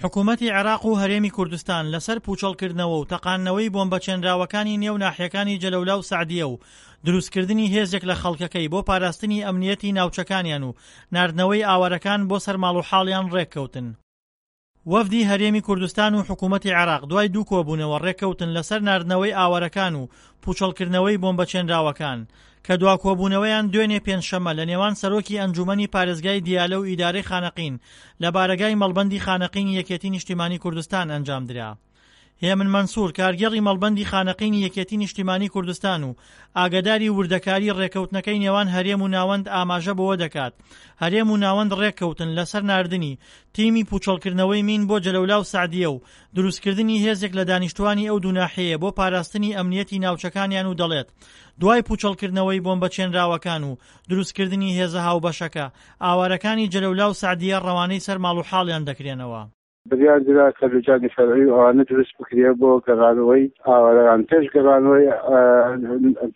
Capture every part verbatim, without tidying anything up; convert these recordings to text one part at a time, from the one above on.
حکوومەتی عێراق و هەرێمی کوردستان لەسەر پووچەڵکردنەوە و تەقاندنەوەی بۆمبە چێنراوەکانی نێو ناحیەکانی جەلەولا و سەعدیە و دروستکردنی هێزێک لە خەڵکەکەی بۆ پاراستنی ئەمنیەتی ناوچەکانیان و ناردنەوەی ئاوارەکان بۆ سەر ماڵوحاڵیان ڕێککەوتن. وەفدی هەرێمی کوردستان و حکوومەتی عێراق دوای دوو کۆبوونەوە ڕێککەوتن لەسەر ناردنەوەی ئاوارەکان و پووچەڵکردنەوەی بۆمبە چێنراوەکان کە دوا کۆبوونەوەیان دوێنێ پێنجشەممە لە نێوان سەرۆکی ئەنجوومەنی پارێزگای دیالە و ئیدارەی خانەقین لە بارەگای مەڵبەندی خانەقینی یەکێتی نیشتیمانی کوردستان ئەنجامدرا. هێمن مەنسوور، کارگێڕی مەڵبەندی خانەقینی یەکێتی نیشتیمانی کوردستان و ئاگەداری وردەکاری ڕێککەوتنەکەی نێوان هەرێم و ناوەند ئاماژە بەوە دەکات هەرێم و ناوەند ڕێککەوتن لەسەر ناردنی تیمی پوچەڵکردنەوەی مین بۆ جەلەولا و سەعدیە و دروستکردنی هێزێک لە دانیشتوانی ئەو دوو ناحیەیە بۆ پاراستنی ئەمنیەتی ناوچەکانیان و دەڵێت دوای پوچەڵکردنەوەی بۆمبە چێنراوەکان و دروستکردنی هێزە هاوبەشەکە ئاوارەکانی جەلەولا و سەعدیە ڕەوانەی سەر ماڵ و حاڵیان دەکرێنەوە. بڕیار درا کە لوجانی فەرعی و ئەوانە دروست بکرێ بۆ گەڕانەوەی ئاوارەکان. پێش گەڕانەوەی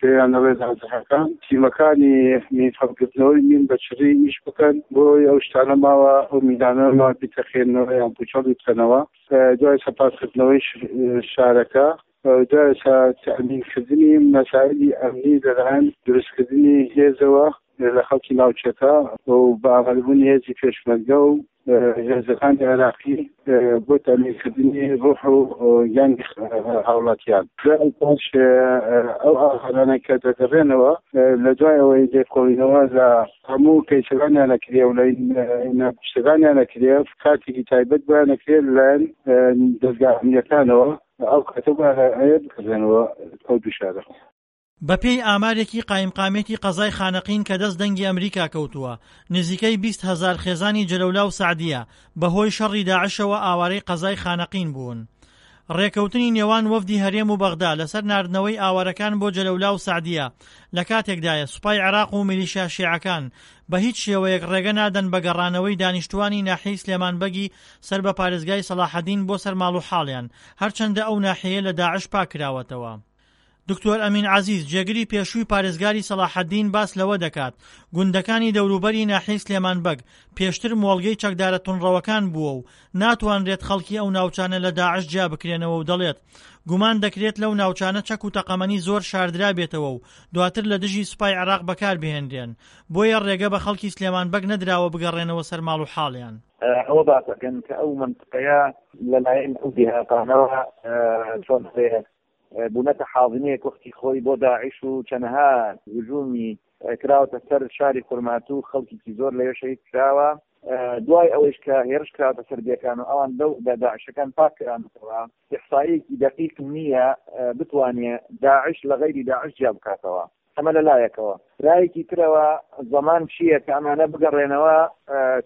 پێیان ئەڵێ نازحەکان تیمەکانی مین هەڵگرتنەوەی مین بە چڕی ئیش بکەن بۆی ئەو شتانە ماوە ئەو مینانە ماوە بیتەقێنەوە یان پوچەڵی بکەنەوە. دوای سەپاسکردنەوەی شارەکە دوای تەئمینکردنی مەسائلی ئەمنی لەلایەن دروستکردنی هێزەوە لە خەڵکی ناوچەکە و بە ئامادەبوونی هێزی پێشمەرگە و هێزەکانی عێراقی بۆ تەئمینکردنی ڕۆح و گیانی هاوڵاتیان. دوای پاش ئەو ئاوارانە کە دەگەڕێنەوە لە دوای ئەوەی لێکۆڵینەوە لە هەموو کەیسەکانیان ئەکرێ و لە ناپشتەکانیان ئەکرێ کاتێکی تایبەت بۆیان ئەکرێ لەلایەن دەزگا ئەمنیەکانەوە ئەو کاتە بۆیان بکرێنەوە ئەو دوو شارە. بەپێی ئامارێکی قایمقامیەتی قەزای خانەقین کە دەست دەنگی ئەمریکا کەوتووە، نزیکەی بیست هەزار خێزانی جەلەولا و سەعدیە بەهۆی شەڕی داعشەوە ئاوارەی قەزای خانەقین بوون. ڕێکەوتنی نێوان وەفدی هەرێم و بەغدا لەسەر ناردنەوەی ئاوارەکان بۆ جەلەولا و سەعدیە لە کاتێکدایە سوپای عێراق و میلیشیا شیعەکان بە هیچ شێوەیەک ڕێگە نادەن بە گەڕانەوەی دانیشتووانی ناحیەی سلێمان بەگی سەر بە پارێزگای سەڵاحەدین بۆ سەر ماڵ و حاڵیان هەرچەندە ئەو ناحیەیە لە داعش پاککراوەتەوە. دکتۆر ئەمین عەزیز، جێگری پێشووی پارێزگاری سەڵاحەدین باس لەوە دەکات، گوندەکانی دەوروبەری ناحیەی سلێمان بەگ پێشتر مۆڵگەی چەکدارە توندڕەوەکان بووە و ناتوانرێت خەڵکی ئەو ناوچانە لە داعش جیا بکرێنەوە و دەڵێت گومان دەکرێت لەو ناوچانە چەک و تەقەمەنی زۆر شاردرابێتەوە و دواتر لە دژی سوپای عێراق بەکاربهێنرێن، بۆیە ڕێگە بە خەڵکی سلێمان بەگ نەدراوە بگەڕێنەوە سەر ماڵ و حاڵیان. ئەوە باس ئەکەن کە ئەو مەنتقەیە لەلایەن ئەو دێهاتانەوە چۆن هەیە بوونەتە حاضنەیەک وەختی خۆی بۆ داعش و چەنەها هجومی کراوەتە سەر شاری خورماتوو، خەڵکێکی زۆر لەوێ شەهید کراوە. دوای ئەوەیش کە هێرش کراوەتە سەر دێکان و ئەوان لەو داعشەکان پاک کرانەتەوە، ئیحساییەکی دەقیق نییە بتوانێ داعش لە غەیری داعش جیا بکاتەوە. ئەمە لە لایەکەوە. لایەکی ترەوە زەمان چییە کە ئەمانە بگەڕێنەوە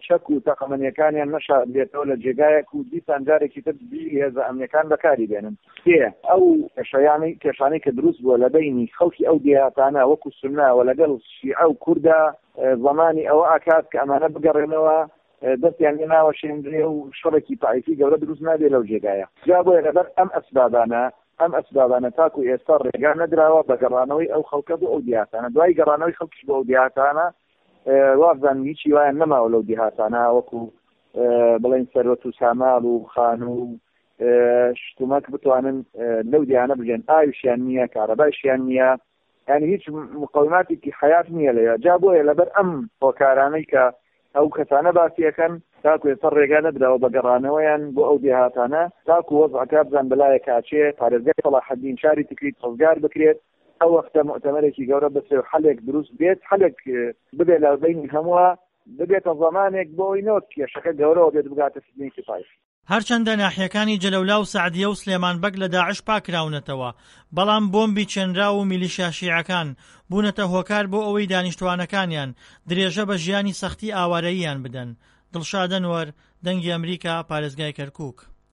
چەک و تەقەمەنیەکانیان نەشاردرێتەوە لە جێگایەک و دیسان جارێکی تر دژی هێزە ئەمنیەکان بەکاری بێنن. سێ، ئەو کێشەیانەی کێشانەی کە دروست بووە لە بەینی خەڵکی ئەو دێهاتانە وەکو سوننە و لەگەڵ شیعە و کوردا زەمانی ئەوە ئەکات کە ئەمانە بگەڕێنەوە دەستیان لێ ناوەشێنرێ و شەڕێکی تائیفی گەورە دروست نابێ لەو جێگایە. جا بۆیە لەبەر ئەم ئەسبابانە ئەم ئەسبابانە تاکو ئێستا ڕێگا نەدراوە بە گەڕانەوەی ئەو خەڵکە بۆ ئەو دێهاتانە. دوای گەڕانەوەی خەڵکیش بۆ ئەو دێهاتانە وابزانم هیچی وایان نەماوە لەو دێهاتانە وەکو بڵێن سەروەت و ساماڵ و خانوو و شتومەک بتوانن لەو دێهانە بژێن. ئاویشیان نییە، کارەبایشیان نییە، یعنی هیچ مقەوماتێکی حەیات نییە لەوێ. جا بۆیە لەبەر ئەم هۆکارانەی کە ئەو کەسانە باسی ئەکەن تاکو ئێستا ڕێگا نەدراوە بە گەڕانەوەیان بۆ ئەو دێهاتانە تاکو وەزعەکە بزان بەلایەک ئاچێ پارێزگای سەڵاحەدین شاری تکریت ڕزگار بکرێت ئەو وەختە موئتەمەرێکی گەورە بسرێ و حەلێک دروست بێت حەلێک ببێت لە بەینی هەمووە ببێتە زەمانێک بۆ ئەوەی نەوەک کێشەکە گەورەوە بێت بگاتە فتنەیەکی تایفی. هەرچەندە ناحیەکانی جەلەولا و سەعدیە و سلێمان بەگ لە داعش پاککراونەتەوە، بەڵام بۆمبی چێنراو و میلیشیا شیعەکان بوونەتە هۆکار بۆ ئەوەی دانیشتوانەکانیان درێژە بە ژیانی سەختی ئاوارەییان بدەن. دڵشاد ئەنوەر، دەنگی ئەمریکا، پارێزگای کەرکوک.